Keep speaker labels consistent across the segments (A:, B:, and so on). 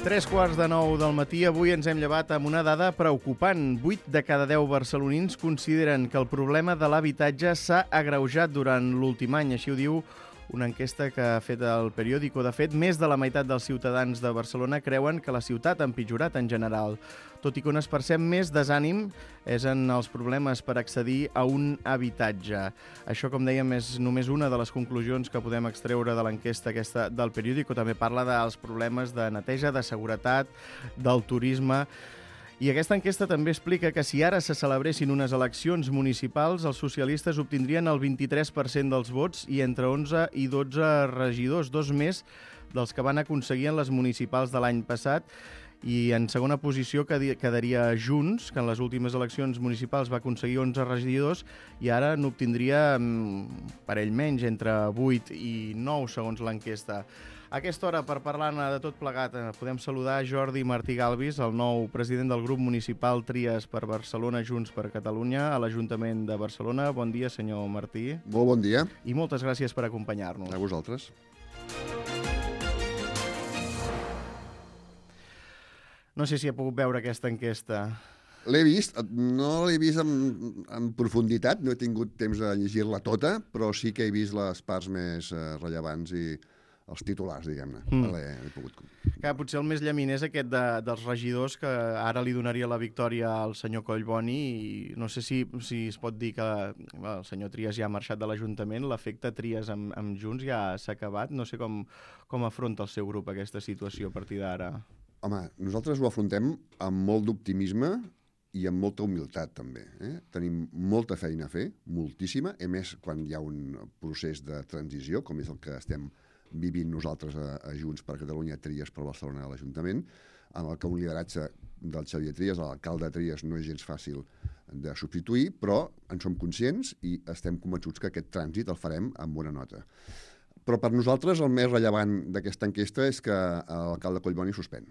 A: 3:15 del matí. Avui ens hem llevat amb una dada preocupant. 8 de cada 10 barcelonins consideren que el problema de l'habitatge s'ha agreujat durant l'últim any. Així ho diu una enquesta que ha fet el periòdico. De fet, més de la meitat dels ciutadans de Barcelona creuen que la ciutat ha empitjorat en general. Tot i que on es percep més desànim és en els problemes per accedir a un habitatge. Això, com dèiem, és només una de les conclusions que podem extreure de l'enquesta aquesta del periòdico. També parla dels problemes de neteja, de seguretat, del turisme. I aquesta enquesta també explica que si ara se celebressin unes eleccions municipals, els socialistes obtindrien el 23% dels vots i entre 11 i 12 regidors, dos més dels que van aconseguir en les municipals de l'any passat. I en segona posició quedaria Junts, que en les últimes eleccions municipals va aconseguir 11 regidors i ara n'obtindria per ell menys, entre 8 i 9, segons l'enquesta. A aquesta hora, per parlar-ne de tot plegat, podem saludar Jordi Martí Galvis, el nou president del grup municipal Tries per Barcelona, Junts per Catalunya, a l'Ajuntament de Barcelona. Bon dia, senyor Martí.
B: Molt bon dia.
A: I moltes gràcies per acompanyar-nos.
B: A vosaltres.
A: No sé si ha pogut veure aquesta enquesta.
B: L'he vist, no l'he vist en profunditat, no he tingut temps de llegir-la tota, però sí que he vist les parts més rellevants i els titulars, diguem-ne. L'he pogut...
A: Clar, potser el més llamin és aquest dels regidors que ara li donaria la victòria al senyor Collboni i no sé si es pot dir que el senyor Trias ja ha marxat de l'Ajuntament, l'efecte Trias amb Junts ja s'ha acabat. No sé com afronta el seu grup aquesta situació a partir d'ara.
B: Home, nosaltres ho afrontem amb molt d'optimisme i amb molta humilitat, també. Tenim molta feina a fer, moltíssima, a més, quan hi ha un procés de transició, com és el que estem vivint nosaltres a Junts per Catalunya, Tries per Barcelona a l'Ajuntament, amb el que un lideratge del Xavier Trias, l'alcalde Trias, no és gens fàcil de substituir, però en som conscients i estem convençuts que aquest trànsit el farem amb bona nota. Però per nosaltres el més rellevant d'aquesta enquesta és que l'alcalde Collboni suspèn,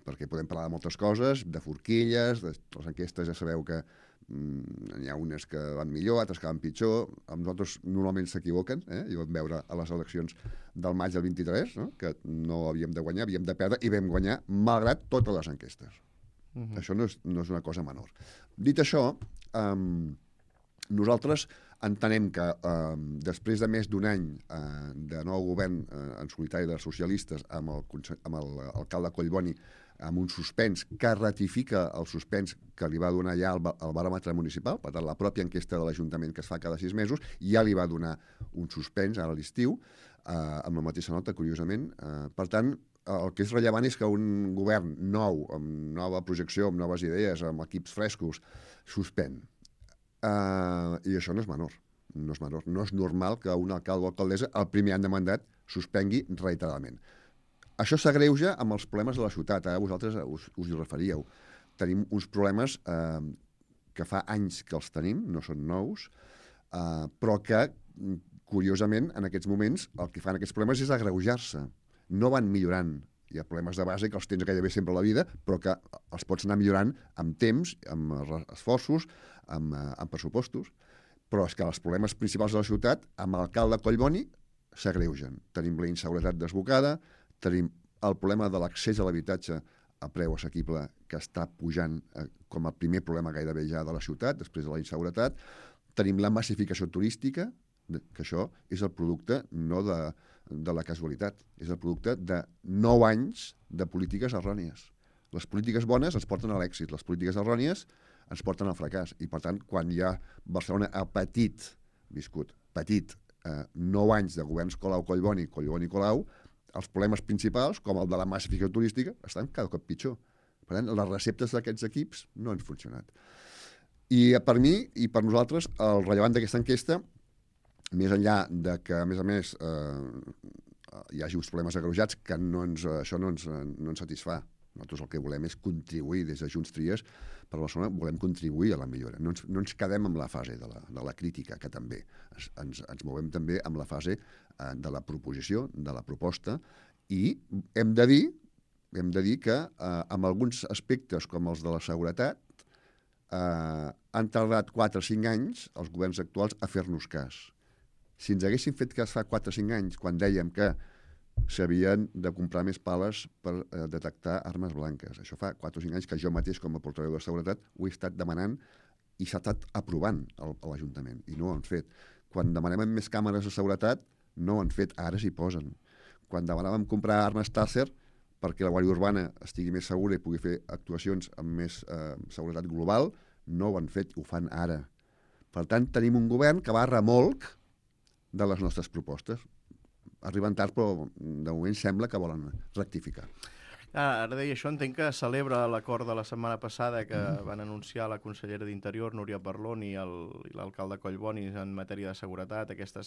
B: perquè podem parlar de moltes coses, de forquilles, de les enquestes ja sabeu que hi ha unes que van millor, altres que van pitjor. Amb nosaltres normalment s'equivoquen, i ho vam veure a les eleccions del maig del 23, no? Que no havíem de guanyar, havíem de perdre, i vam guanyar malgrat totes les enquestes. Això no és una cosa menor. Dit això, nosaltres entenem que després de més d'un any de nou govern en solitari dels socialistes amb l'alcalde Collboni, amb un suspens que ratifica el suspens que li va donar ja el baròmetre municipal, per tant, la pròpia enquesta de l'Ajuntament que es fa cada 6 mesos, ja li va donar un suspens ara a l'estiu, amb la mateixa nota, curiosament. Per tant, el que és rellevant és que un govern nou, amb nova projecció, amb noves idees, amb equips frescos, suspèn. I això no és menor. No és menor. No és normal que un alcalde o alcaldessa, el primer any de mandat, suspengui reiteradament. Això s'agreuja amb els problemes de la ciutat. Vosaltres us hi referíeu. Tenim uns problemes que fa anys que els tenim, no són nous, però que, curiosament, en aquests moments, el que fan aquests problemes és agreujar-se. No van millorant. Hi ha problemes de base que els tens gairebé sempre a la vida, però que els pots anar millorant amb temps, amb esforços, amb pressupostos. Però és que els problemes principals de la ciutat, amb l'alcalde Collboni, s'agreugen. Tenim la inseguretat desbocada, tenim el problema de l'accés a l'habitatge a preu assequible que està pujant com a primer problema gairebé ja de la ciutat, després de la inseguretat. Tenim la massificació turística, que això és el producte no de la casualitat, és el producte de 9 anys de polítiques errònies. Les polítiques bones ens porten a l'èxit, les polítiques errònies ens porten al fracàs. I, per tant, quan ja Barcelona ha viscut 9 anys de governs Colau-Collboni, Collboni-Colau, els problemes principals, com el de la massificació turística, estan cada cop pitjor. Per tant, les receptes d'aquests equips no han funcionat. I per mi i per nosaltres, el rellevant d'aquesta enquesta, més enllà de que, a més, hi hagi uns problemes agreujats, que això no ens satisfà. Nosaltres el que volem és contribuir des de Junts Tries per Barcelona, volem contribuir a la millora. No ens quedem amb la fase de la crítica, que també. Ens movem també amb la fase de la proposició, de la proposta, i hem de dir que amb alguns aspectes com els de la seguretat han tardat 4 o 5 anys els governs actuals a fer-nos cas. Si ens haguessin fet cas fa 4 o 5 anys, quan dèiem que s'havien de comprar més pales per detectar armes blanques. Això fa 4 o 5 anys que jo mateix, com a portaveu de seguretat, ho he estat demanant i s'ha estat aprovant a l'Ajuntament, i no ho han fet. Quan demanem més càmeres de seguretat, no ho han fet, ara s'hi posen. Quan demanàvem comprar armes Taser perquè la Guàrdia Urbana estigui més segura i pugui fer actuacions amb més seguretat global, no ho han fet, ho fan ara. Per tant, tenim un govern que va a remolc de les nostres propostes. Arriben tard, però de moment sembla que volen rectificar.
A: Ara deia això, entenc que celebra l'acord de la setmana passada que van anunciar la consellera d'Interior, Núria Parlon, i l'alcalde Collboni en matèria de seguretat, aquest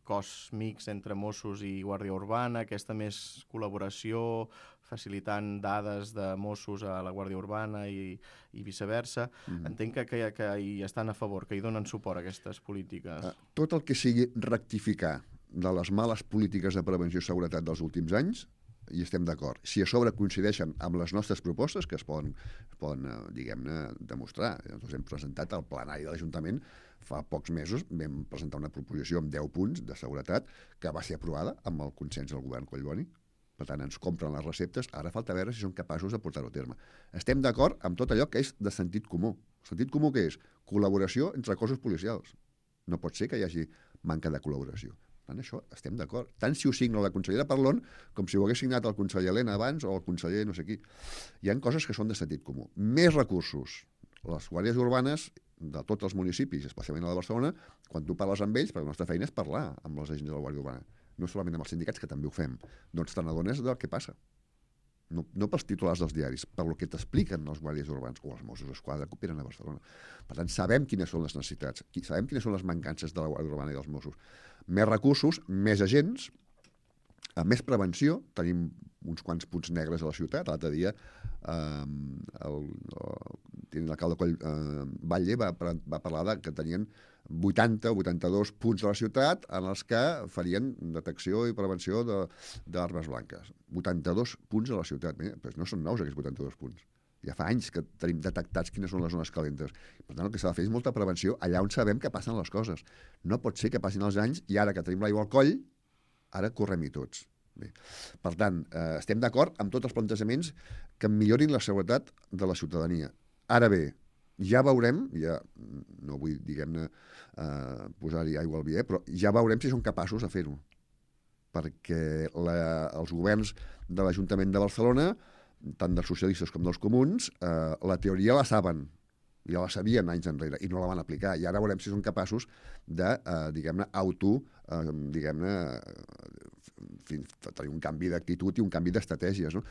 A: cos mix entre Mossos i Guàrdia Urbana, aquesta més col·laboració, facilitant dades de Mossos a la Guàrdia Urbana i viceversa. Entenc que hi estan a favor, que hi donen suport a aquestes polítiques.
B: Tot el que sigui rectificar de les males polítiques de prevenció i seguretat dels últims anys, hi estem d'acord. Si a sobre coincideixen amb les nostres propostes, que es poden diguem-ne, demostrar. Nosaltres hem presentat al plenari de l'Ajuntament fa pocs mesos, vam presentar una proposició amb 10 punts de seguretat que va ser aprovada amb el consens del govern Collboni. Per tant, ens compren les receptes, ara falta veure si són capaços de portar-ho a terme. Estem d'acord amb tot allò que és de sentit comú. Sentit comú què és? Col·laboració entre cossos policials. No pot ser que hi hagi manca de col·laboració. En això estem d'acord. Tant si ho signa la consellera Parlon com si ho hagués signat el conseller Elena abans o el conseller no sé qui. Hi ha coses que són de sentit comú. Més recursos. Les guàrdies urbanes de tots els municipis, especialment a la de Barcelona, quan tu parles amb ells, perquè la nostra feina és parlar amb els agents de la Guàrdia Urbana. No solament amb els sindicats, que també ho fem. Doncs te n'adones del que passa. No pels titulars dels diaris, per el que t'expliquen els guàrdies urbans o els Mossos d'Esquadra que operen a Barcelona. Per tant, sabem quines són les necessitats, sabem quines són les mancances de la Guàrdia Urbana i dels Mossos. Més recursos, més agents, més prevenció. Tenim uns quants punts negres a la ciutat. L'altre dia l'alcalde Batlle va parlar que tenien 80 o 82 punts de la ciutat en els que farien detecció i prevenció d'armes blanques. 82 punts a la ciutat. Però no són nous aquests 82 punts. Ja fa anys que tenim detectats quines són les zones calentes. Per tant, el que s'ha de fer és molta prevenció allà on sabem que passen les coses. No pot ser que passin els anys i ara que tenim l'aigua al coll, ara correm-hi tots. Bé. Per tant, estem d'acord amb tots els plantejaments que millorin la seguretat de la ciutadania. Ara bé, ja veurem, no vull, diguem-ne, posar-hi aigua al vi, però ja veurem si són capaços de fer-ho. Perquè els governs de l'Ajuntament de Barcelona, tant dels socialistes com dels comuns, la teoria la saben, ja la sabien anys enrere, i no la van aplicar. I ara veurem si són capaços de, diguem-ne, tenir un canvi d'actitud i un canvi d'estratègies, no?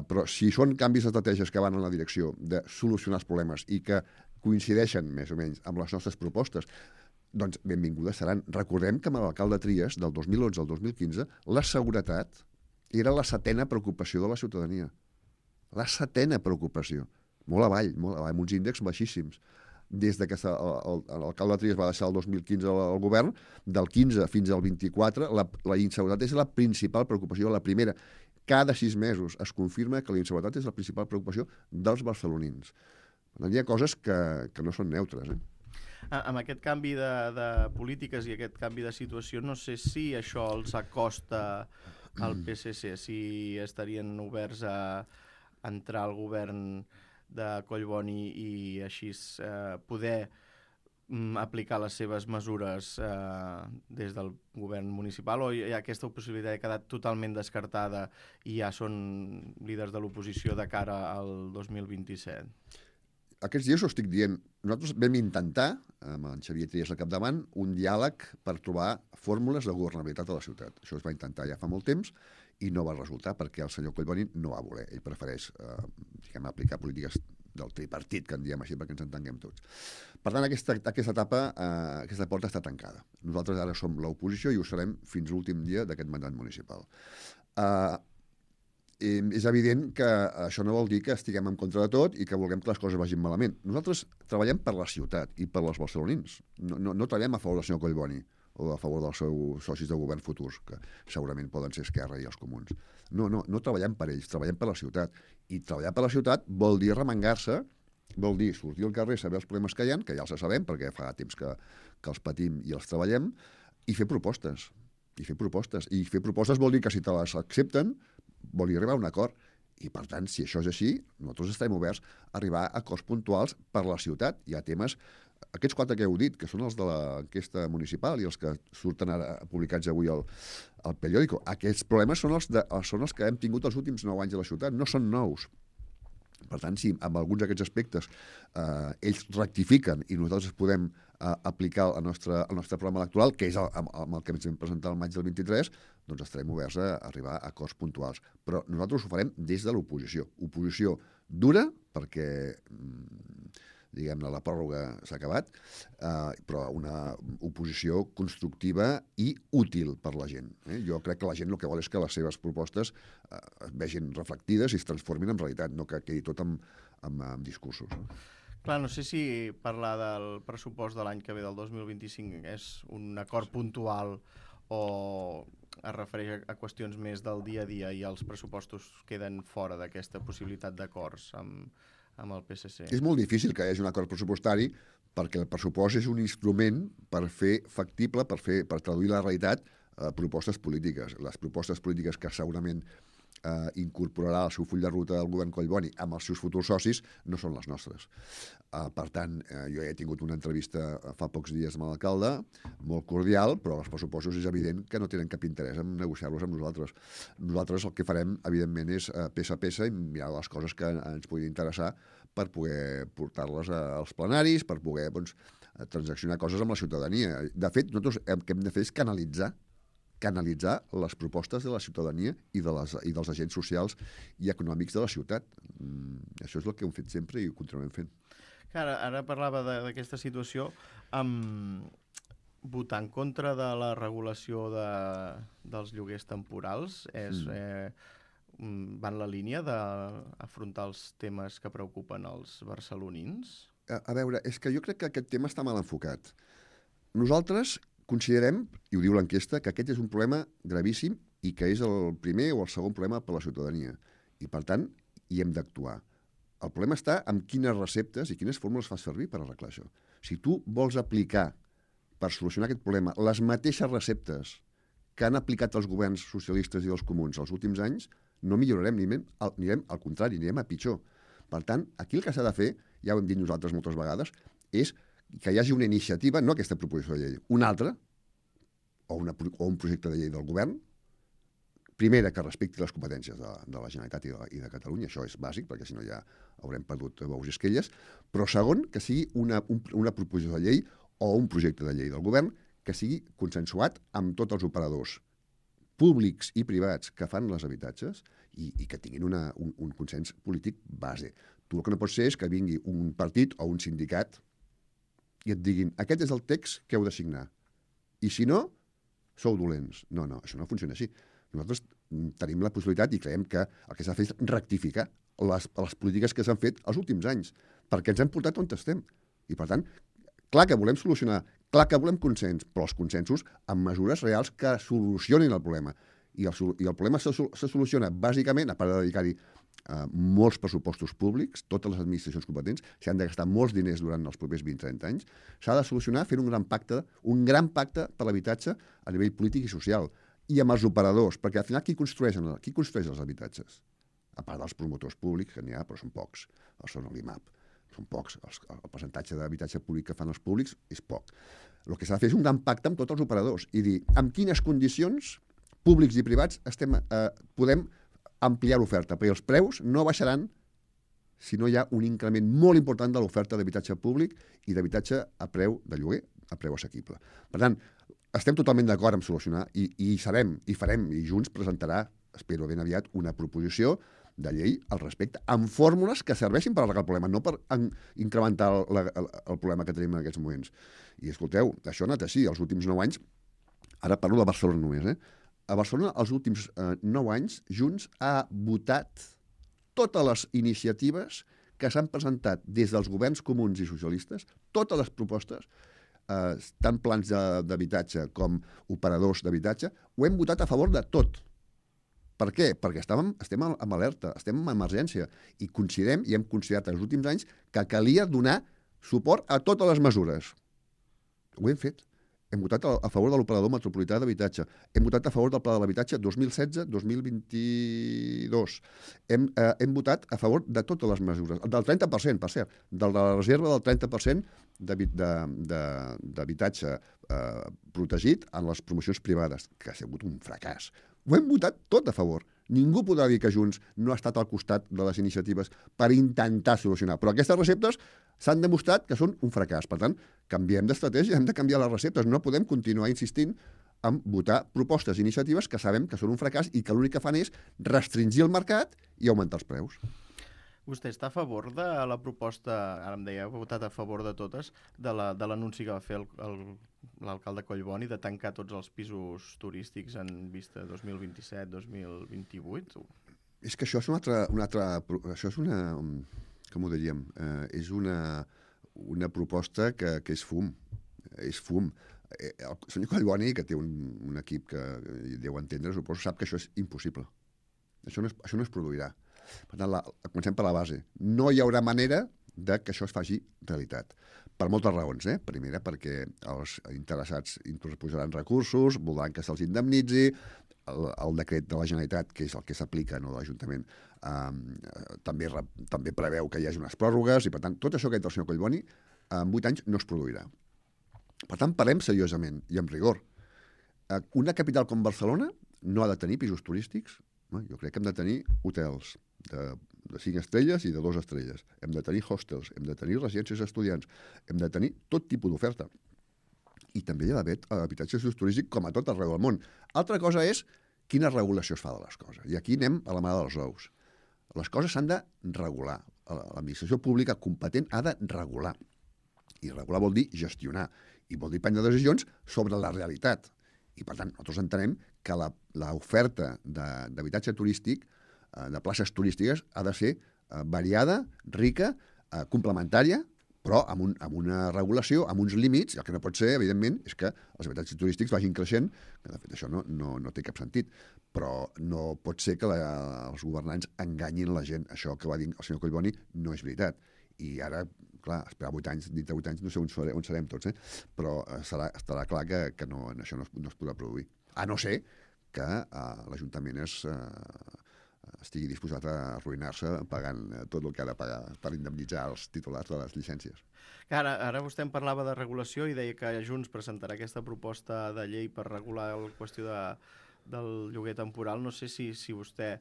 B: Però si són canvis d'estratègies que van en la direcció de solucionar els problemes i que coincideixen més o menys amb les nostres propostes, doncs benvingudes seran. Recordem que amb l'alcalde Trias, del 2011 al 2015, la seguretat era la 7a preocupació de la ciutadania. La 7a preocupació. Molt avall, amb uns índexs baixíssims. Des que l'alcalde Trias va deixar el 2015 al govern, del 15 fins al 24, la inseguretat és la principal preocupació, la primera. Cada 6 mesos es confirma que la inseguretat és la principal preocupació dels barcelonins. Hi ha coses que no són neutres.
A: Amb aquest canvi de polítiques i aquest canvi de situació, no sé si això els acosta al PSC, si estarien oberts a entrar al govern de Collboni i així poder aplicar les seves mesures des del govern municipal, o aquesta possibilitat ha quedat totalment descartada i ja són líders de l'oposició de cara al 2027?
B: Aquests dies ho estic dient. Nosaltres vam intentar, amb en Xavier Trias al capdavant, un diàleg per trobar fórmules de governabilitat a la ciutat. Això es va intentar ja fa molt temps i no va resultar perquè el senyor Collboni no va voler. Ell prefereix aplicar polítiques del tripartit, que en diem així perquè ens entenguem tots. Per tant, aquesta etapa, aquesta porta està tancada. Nosaltres ara som l'oposició i ho serem fins l'últim dia d'aquest mandat municipal. És evident que això no vol dir que estiguem en contra de tot i que vulguem que les coses vagin malament. Nosaltres treballem per la ciutat i per les barcelonins. No treballem a favor del senyor Collboni o a favor dels seus socis de govern futurs, que segurament poden ser Esquerra i els comuns. No treballem per ells, treballem per la ciutat. I treballar per la ciutat vol dir remengar-se, vol dir sortir al carrer, saber els problemes que ja els sabem, perquè fa temps que els patim i els treballem, i fer propostes. i fer propostes. I fer propostes vol dir que si te les accepten, vol dir arribar a un acord. I, per tant, si això és així, nosaltres estarem oberts a arribar a acords puntuals per la ciutat. Hi ha temes, aquests 4 que heu dit, que són els de l'enquesta municipal i els que surten ara publicats avui al periòdico, aquests problemes són els que hem tingut els últims 9 anys a la ciutat, no són nous. Per tant, si amb alguns d'aquests aspectes ells rectifiquen i nosaltres podem aplicar el nostre programa electoral, que és amb el que ens vam presentar el maig del 23, doncs estarem oberts a arribar a acords puntuals. Però nosaltres ho farem des de l'oposició. Oposició dura, perquè diguem-ne, la pròrroga s'ha acabat, però una oposició constructiva i útil per la gent. Jo crec que la gent el que vol és que les seves propostes es vegin reflectides i es transformin en realitat, no que quedi tot amb discursos.
A: Clar, no sé si parlar del pressupost de l'any que ve, del 2025, és un acord puntual o es refereix a qüestions més del dia a dia i els pressupostos queden fora d'aquesta possibilitat d'acords amb el PSC.
B: És molt difícil que hi hagi un acord pressupostari perquè el pressupost és un instrument per fer factible, per traduir la realitat propostes polítiques. Les propostes polítiques que segurament incorporarà al seu full de ruta del govern Collboni amb els seus futurs socis no són les nostres. Per tant, jo ja he tingut una entrevista fa pocs dies amb l'alcalde, molt cordial, però els pressupostos és evident que no tenen cap interès en negociar-los amb nosaltres. Nosaltres el que farem, evidentment, és peça a peça i mirar les coses que ens puguin interessar per poder portar-les als plenaris, per poder transaccionar coses amb la ciutadania. De fet, nosaltres el que hem de fer és canalitzar les propostes de la ciutadania i dels agents socials i econòmics de la ciutat. Això és el que hem fet sempre i ho continuem fent.
A: Ara parlava d'aquesta situació. Votar en contra de la regulació dels lloguers temporals va en la línia d'afrontar els temes que preocupen els barcelonins?
B: A veure, és que jo crec que aquest tema està mal enfocat. Nosaltres considerem, i ho diu l'enquesta, que aquest és un problema gravíssim i que és el primer o el segon problema per a la ciutadania. I, per tant, hi hem d'actuar. El problema està en quines receptes i quines fórmules fas servir per arreglar això. Si tu vols aplicar per solucionar aquest problema les mateixes receptes que han aplicat els governs socialistes i els comuns els últims anys, no millorarem, anirem al contrari, anirem a pitjor. Per tant, aquí el que s'ha de fer, ja ho hem dit nosaltres moltes vegades, és que hi hagi una iniciativa, no aquesta proposició de llei, una altra, o un projecte de llei del govern, primera, que respecti les competències de la Generalitat i de Catalunya, això és bàsic, perquè si no ja haurem perdut bous i esquelles, però segon, que sigui una proposició de llei o un projecte de llei del govern que sigui consensuat amb tots els operadors públics i privats que fan els habitatges i que tinguin un consens polític base. Tu el que no pots ser és que vingui un partit o un sindicat i et diguin, aquest és el text que heu de signar. I si no, sou dolents. No, això no funciona així. Nosaltres tenim la possibilitat i creiem que el que s'ha de fer és rectificar les polítiques que s'han fet els últims anys, perquè ens hem portat on estem. I, per tant, clar que volem solucionar, clar que volem consens, però els consensos amb mesures reals que solucionin el problema. I el problema se soluciona bàsicament, a part de dedicar-hi molts pressupostos públics, totes les administracions competents, s'han de gastar molts diners durant els propers 20-30 anys, s'ha de solucionar fent un gran pacte per l'habitatge a nivell polític i social, i amb els operadors, perquè al final qui construeix els habitatges? A part dels promotors públics, que n'hi ha, però són pocs, són l'IMAP, són pocs, el percentatge d'habitatge públic que fan els públics és poc. El que s'ha de fer és un gran pacte amb tots els operadors i dir amb quines condicions públics i privats podem ampliar l'oferta, perquè els preus no baixaran si no hi ha un increment molt important de l'oferta d'habitatge públic i d'habitatge a preu de lloguer, a preu assequible. Per tant, estem totalment d'acord en solucionar i farem, i Junts presentarà, espero ben aviat, una proposició de llei al respecte, amb fórmules que serveixin per arreglar el problema, no per incrementar el problema que tenim en aquests moments. I escolteu, això ha anat així, els últims 9 anys, ara parlo de Barcelona només, a Barcelona, els últims 9 anys, Junts ha votat totes les iniciatives que s'han presentat des dels governs comuns i socialistes, totes les propostes, tant plans d'habitatge com operadors d'habitatge, ho hem votat a favor de tot. Per què? Perquè estem en alerta, estem en emergència i considerem, i hem considerat els últims anys, que calia donar suport a totes les mesures. Ho hem fet. Hem votat a favor de l'operador metropolità d'habitatge. Hem votat a favor del pla de l'habitatge 2016-2022. Hem votat a favor de totes les mesures. Del 30%, per cert. De la reserva del 30% d'habitatge protegit en les promocions privades, que ha sigut un fracàs. Ho hem votat tot a favor. Ningú podrà dir que Junts no ha estat al costat de les iniciatives per intentar solucionar. Però aquestes receptes s'han demostrat que són un fracàs. Per tant, canviem d'estratègia, hem de canviar les receptes. No podem continuar insistint en votar propostes i iniciatives que sabem que són un fracàs i que l'únic que fan és restringir el mercat i augmentar els preus.
A: Vostè està a favor de la proposta, ara em deia, ha votat a favor de totes, de l'anunci que va fer l'alcalde Collboni de tancar tots els pisos turístics en vista 2027-2028?
B: És que això és això és una com ho diríem? És una proposta que és fum. És fum. El senyor Collboni, que té un equip que deu entendre, suposo, sap que això és impossible. Això no es produirà. Per tant, comencem per la base. No hi haurà manera de que això es faci realitat. Per moltes raons. Primera, perquè els interessats interposaran recursos, voldran que se'ls indemnitzi, el decret de la Generalitat, que és el que s'aplica, no de l'Ajuntament, també preveu que hi hagi unes pròrrogues, i per tant, tot això que ha dit el senyor Collboni, en 8 anys no es produirà. Per tant, parlem seriosament i amb rigor. Una capital com Barcelona no ha de tenir pisos turístics. Jo crec que hem de tenir hotels de 5 estrelles i de 2 estrelles. Hem de tenir hostels, hem de tenir residències estudiants, hem de tenir tot tipus d'oferta. I també hi ha d'haver habitatges turístics com a tot arreu del món. Altra cosa és quina regulació es fa de les coses. I aquí anem a la mà dels ous. Les coses s'han de regular. L'administració pública competent ha de regular. I regular vol dir gestionar. I vol dir prendre decisions sobre la realitat. I, per tant, nosaltres entenem que l'oferta d'habitatge turístic, de places turístiques, ha de ser variada, rica, complementària, però amb una regulació, amb uns límits. El que no pot ser, evidentment, és que els habitatges turístics vagin creixent, que de fet això no té cap sentit, però no pot ser que els governants enganyin la gent. Això que va dir el senyor Collboni no és veritat. I ara, clar, esperar 8 anys, dintre 8 anys no sé on serem tots, però estarà clar que això no es podrà produir. A no ser que l'Ajuntament estigui disposat a arruïnar-se pagant tot el que ha de pagar per indemnitzar els titulars de les llicències.
A: Ara vostè em parlava de regulació i deia que Junts presentarà aquesta proposta de llei per regular la qüestió del lloguer temporal. No sé si vostè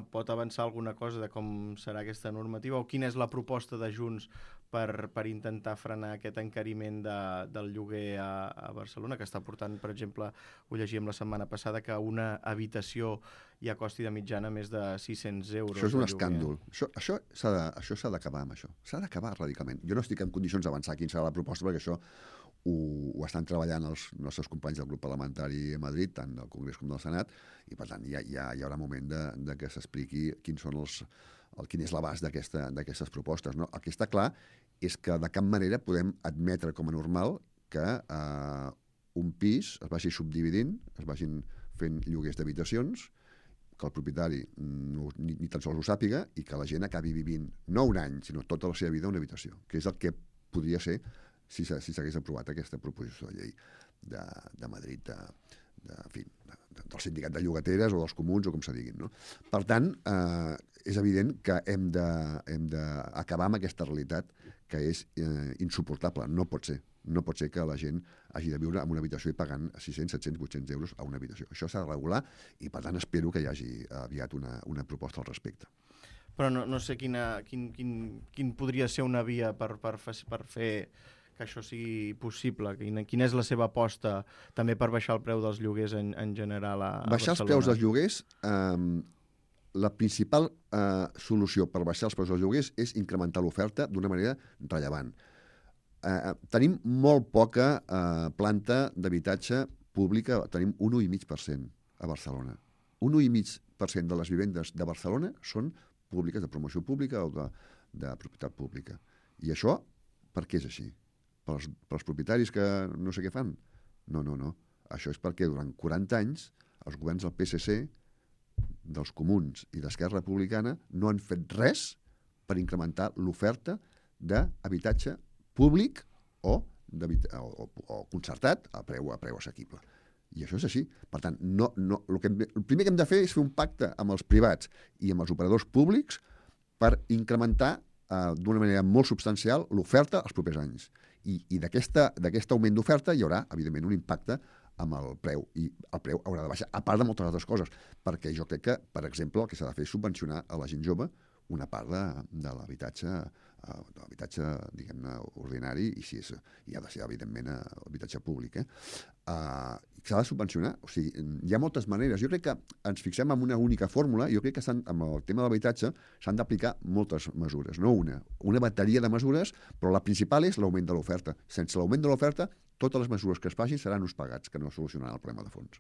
A: pot avançar alguna cosa de com serà aquesta normativa o quina és la proposta de Junts per intentar frenar aquest encariment del lloguer a Barcelona, que està portant, per exemple, ho llegíem la setmana passada, que una habitació ja costi de mitjana més de 600 euros.
B: Això és un escàndol. Això s'ha d'acabar amb això. S'ha d'acabar radicalment. Jo no estic en condicions d'avançar quina serà la proposta, perquè això ho estan treballant els nostres companys del grup parlamentari a Madrid, tant del Congrés com del Senat, i per tant hi haurà moment de que s'expliqui quin és l'abast d'aquestes propostes. No? El que està clar és que de cap manera podem admetre com a normal que un pis es vagi subdividint, es vagin fent lloguers d'habitacions, que el propietari ni tan sols ho sàpiga i que la gent acabi vivint no un any, sinó tota la seva vida en una habitació, que és el que podria ser si s'hagués aprovat aquesta proposició de llei de Madrid, del sindicat de llogateres o dels comuns o com se diguin. No? Per tant, és evident que hem d'acabar amb aquesta realitat que és insuportable. No pot ser que la gent hagi de viure en una habitació i pagant 600, 700, 800 euros a una habitació. Això s'ha de regular i, per tant, espero que hi hagi aviat una proposta al respecte.
A: Però no sé quin podria ser una via per fer que això sigui possible. Quina és la seva aposta també per baixar el preu dels lloguers en general a Barcelona?
B: Baixar els preus dels lloguers, la principal solució per baixar els preus dels lloguers és incrementar l'oferta d'una manera rellevant. Tenim molt poca planta d'habitatge pública, tenim un 1,5% a Barcelona. Un 1,5% de les vivendes de Barcelona són públiques, de promoció pública o de propietat pública. I això, per què és així? Pels propietaris que no sé què fan? No. Això és perquè durant 40 anys els governs del PSC, dels comuns i d'Esquerra Republicana no han fet res per incrementar l'oferta d'habitatge públic o o concertat a preu assequible. I això és així. Per tant, el primer que hem de fer és fer un pacte amb els privats i amb els operadors públics per incrementar d'una manera molt substancial l'oferta els propers anys. I d'aquest augment d'oferta hi haurà, evidentment, un impacte amb el preu, i el preu haurà de baixar, a part de moltes altres coses, perquè jo crec que, per exemple, el que s'ha de fer és subvencionar a la gent jove una part de l'habitatge, diguem-ne, ordinari, i ha de ser, evidentment, habitatge públic. S'ha de subvencionar. O sigui, hi ha moltes maneres. Jo crec que ens fixem en una única fórmula. Jo crec que amb el tema de l'habitatge s'han d'aplicar moltes mesures, no una bateria de mesures, però la principal és l'augment de l'oferta. Sense l'augment de l'oferta, totes les mesures que es facin seran uns pagats, que no solucionaran el problema de fons.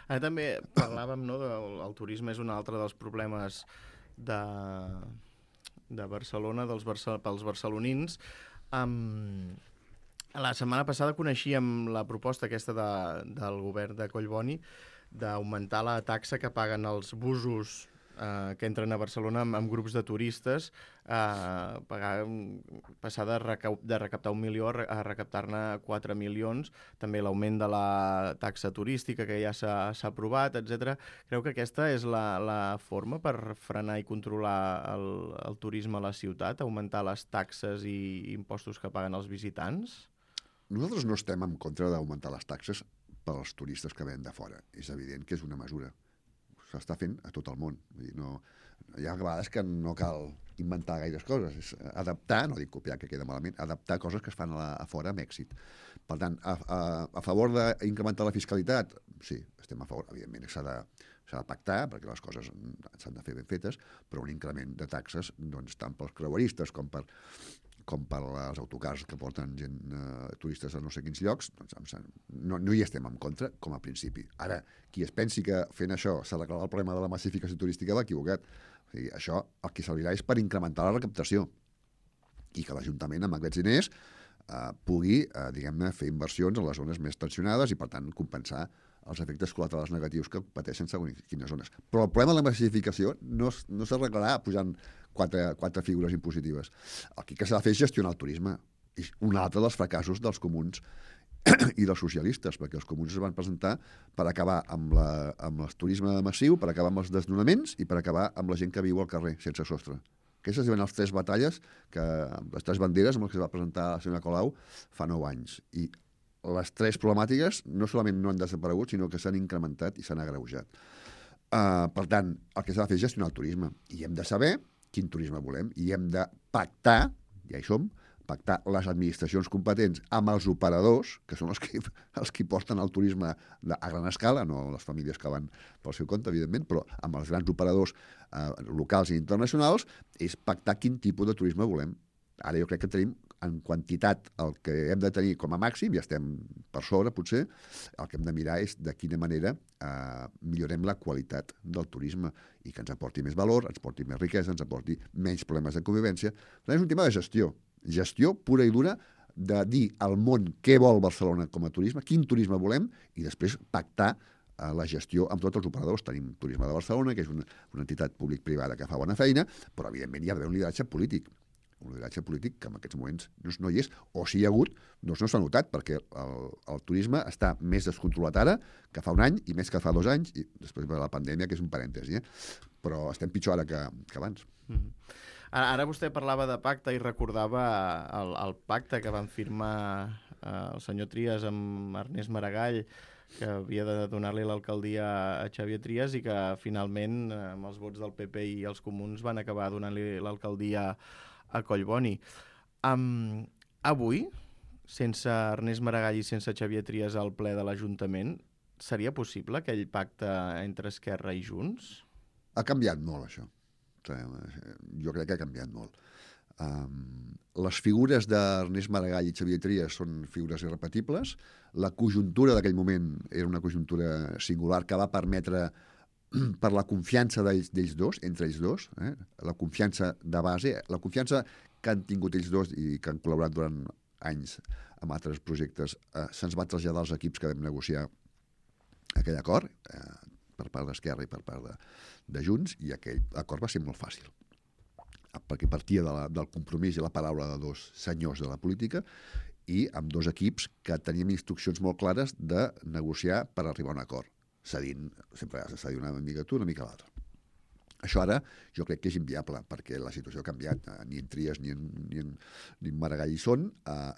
A: Ara també parlàvem, no, el turisme és un altre dels problemes de Barcelona, pels barcelonins. La setmana passada coneixíem la proposta aquesta del govern de Collboni d'augmentar la taxa que paguen els busos que entren a Barcelona amb grups de turistes, passar de recaptar 1 milió a recaptar-ne 4 milions, també l'augment de la taxa turística que ja s'ha aprovat, etc. Creu que aquesta és la forma per frenar i controlar el turisme a la ciutat, augmentar les taxes i impostos que paguen els visitants?
B: Nosaltres no estem en contra d'augmentar les taxes pels turistes que venen de fora. És evident que és una mesura. S'està fent a tot el món. Vull dir, hi ha vegades que no cal inventar gaires coses. És adaptar, no dic copiar, que queda malament, adaptar coses que es fan a fora amb èxit. Per tant, a favor d'incrementar la fiscalitat, sí, estem a favor. Evidentment, s'ha de pactar, perquè les coses s'han de fer ben fetes, però un increment de taxes, doncs, tant pels creueristes com per als autocars que porten turistes a no sé quins llocs, doncs no hi estem en contra, com a principi. Ara, qui es pensi que fent això s'arreglarà el problema de la massificació turística va equivocat. O sigui, això el que servirà és per incrementar la recaptació i que l'Ajuntament, amb aquests diners, pugui, diguem-ne, fer inversions en les zones més tensionades i, per tant, compensar els efectes col·laterals negatius que pateixen segons quines zones. Però el problema de la massificació no s'arreglarà pujant quatre figures impositives. El que s'ha de fer és gestionar el turisme. És un altre dels fracassos dels comuns i dels socialistes, perquè els comuns es van presentar per acabar amb el turisme massiu, per acabar amb els desnonaments i per acabar amb la gent que viu al carrer, sense sostre. Aquestes eren les 3 batalles, les 3 banderes amb les que es va presentar la senyora Colau fa 9 anys. I les 3 problemàtiques no solament no han desaparegut, sinó que s'han incrementat i s'han agreujat. Per tant, el que s'ha de fer és gestionar el turisme. I hem de saber quin turisme volem i hem de pactar, ja hi som, pactar les administracions competents amb els operadors, que són els que porten el turisme a gran escala, no les famílies que van pel seu compte, evidentment, però amb els grans operadors locals i internacionals, és pactar quin tipus de turisme volem. Ara jo crec que tenim en quantitat el que hem de tenir com a màxim, ja estem per sobre potser, el que hem de mirar és de quina manera millorem la qualitat del turisme i que ens aporti més valor, ens aporti més riquesa, ens aporti menys problemes de convivència. És un tema de gestió pura i dura, de dir al món què vol Barcelona com a turisme, quin turisme volem, i després pactar la gestió amb tots els operadors. Tenim Turisme de Barcelona, que és una entitat públic-privada que fa bona feina, però evidentment hi ha d'haver un lideratge polític. Un lideratge polític que en aquests moments no hi és, o si hi ha hagut, doncs no s'ha notat, perquè el turisme està més descontrolat ara que fa un any i més que fa 2 anys, i després de la pandèmia, que és un parèntesi, però estem pitjor ara que abans.
A: Ara vostè parlava de pacte i recordava el pacte que van firmar el senyor Trias amb Ernest Maragall, que havia de donar-li l'alcaldia a Xavier Trias i que finalment, amb els vots del PP i els comuns, van acabar donant-li l'alcaldia a Collboni. Avui, sense Ernest Maragall i sense Xavier Trias al ple de l'Ajuntament, seria possible aquell pacte entre Esquerra i Junts?
B: Ha canviat molt, això. Jo crec que ha canviat molt. Les figures d'Ernest Maragall i Xavier Trias són figures irrepetibles. La conjuntura d'aquell moment era una conjuntura singular que va permetre, per la confiança d'ells dos, entre ells dos, la confiança de base, la confiança que han tingut ells dos i que han col·laborat durant anys amb altres projectes, se'ns va traslladar als equips que vam negociar aquell acord, per part d'Esquerra i per part de Junts, i aquell acord va ser molt fàcil, perquè partia del compromís i la paraula de 2 senyors de la política, i amb dos equips que teníem instruccions molt clares de negociar per arribar a un acord, sempre s'ha dit una mica tu, una mica l'altre. Això ara jo crec que és inviable, perquè la situació ha canviat. Ni en Trias ni en Maragall hi són.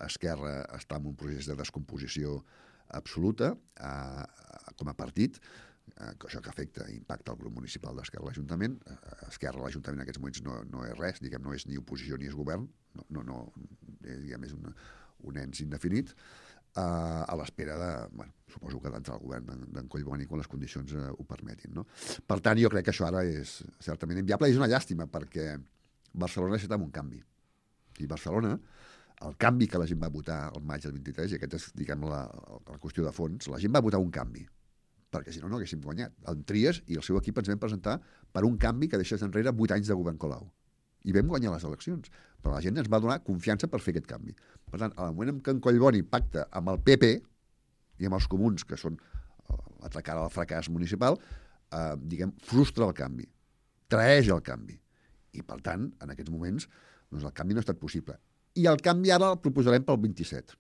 B: Esquerra està en un procés de descomposició absoluta com a partit, això que afecta i impacta el grup municipal d'Esquerra a l'Ajuntament. Esquerra a l'Ajuntament en aquests moments no és res, diguem, no és ni oposició ni és govern, diguem, és un ens indefinit, a l'espera de, suposo que d'entrar al govern d'en Collboni quan les condicions ho permetin, no? Per tant, jo crec que això ara és certament inviable i és una llàstima, perquè Barcelona necessita un canvi. I Barcelona, el canvi que la gent va votar el maig del 23, i aquesta és, diguem, la qüestió de fons, la gent va votar un canvi, perquè si no, no haguéssim guanyat. En Trias i el seu equip ens vam presentar per un canvi que deixés enrere 8 anys de govern Colau. I vam guanyar les eleccions, però la gent ens va donar confiança per fer aquest canvi. Per tant, al moment en què en Collboni pacta amb el PP i amb els comuns, que són l'altra cara del fracàs municipal, diguem, frustra el canvi, traeix el canvi. I, per tant, en aquests moments, doncs el canvi no ha estat possible. I el canvi ara el proposarem pel 27.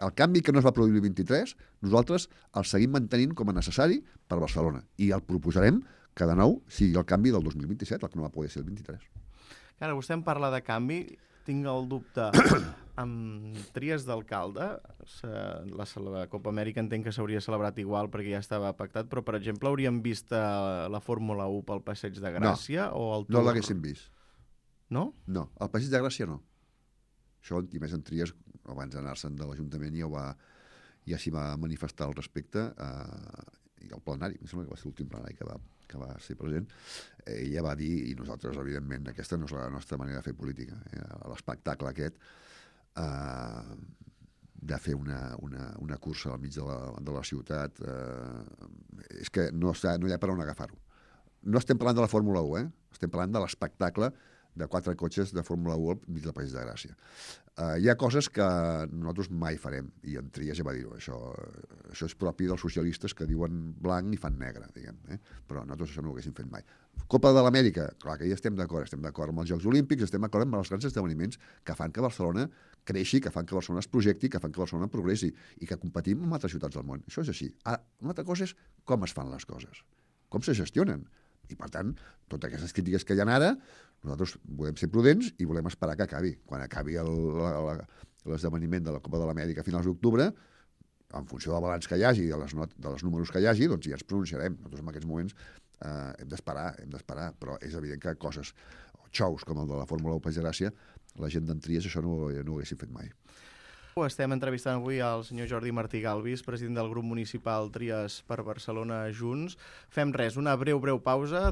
B: El canvi que no es va produir el 23, nosaltres el seguim mantenint com a necessari per Barcelona. I el proposarem que, de nou, sigui el canvi del 2027, el que no va poder ser el 23.
A: Ara, vostè em parla de canvi, tinc el dubte amb Trias d'alcalde, la Copa Amèrica entenc que s'hauria celebrat igual perquè ja estava pactat, però, per exemple, hauríem vist la Fórmula 1 pel Passeig de Gràcia?
B: No l'haguéssim vist.
A: No?
B: No, el Passeig de Gràcia no. Això, i més en Trias, abans d'anar-se'n de l'Ajuntament, ja s'hi va manifestar al respecte, i el plenari, em sembla que va ser l'últim plenari que va ser present, ella va dir, i nosaltres, evidentment, aquesta no és la nostra manera de fer política, l'espectacle aquest de fer una cursa al mig de la ciutat, és que no hi ha per on agafar-ho. No estem parlant de la Fórmula 1, estem parlant de l'espectacle de 4 cotxes de Fórmula 1 al mig del Passeig de Gràcia. Hi ha coses que nosaltres mai farem, i en Trias ja va dir-ho, això és propi dels socialistes que diuen blanc i fan negre, diguem, però nosaltres això no ho haguéssim fet mai. Copa de l'Amèrica, clar que ja estem d'acord amb els Jocs Olímpics, estem d'acord amb els grans esdeveniments que fan que Barcelona creixi, que fan que Barcelona es projecti, que fan que Barcelona progressi i que competim amb altres ciutats del món. Això és així. Una altra cosa és com es fan les coses, com se gestionen. I, per tant, totes aquestes crítiques que hi ha ara, nosaltres volem ser prudents i volem esperar que acabi. Quan acabi l'esdeveniment de la Copa de l'Amèrica a finals d'octubre, en funció del balanç que hi hagi, dels números que hi hagi, doncs ja ens pronunciarem. Nosaltres en aquests moments hem d'esperar, però és evident que coses, xous com el de la Fórmula 1 Passeig de Gràcia, la gent d'en Trias això no ho haguessin fet mai.
A: Estem entrevistant avui el senyor Jordi Martí Galvis, president del grup municipal Trias per Barcelona Junts. Fem res, una breu pausa.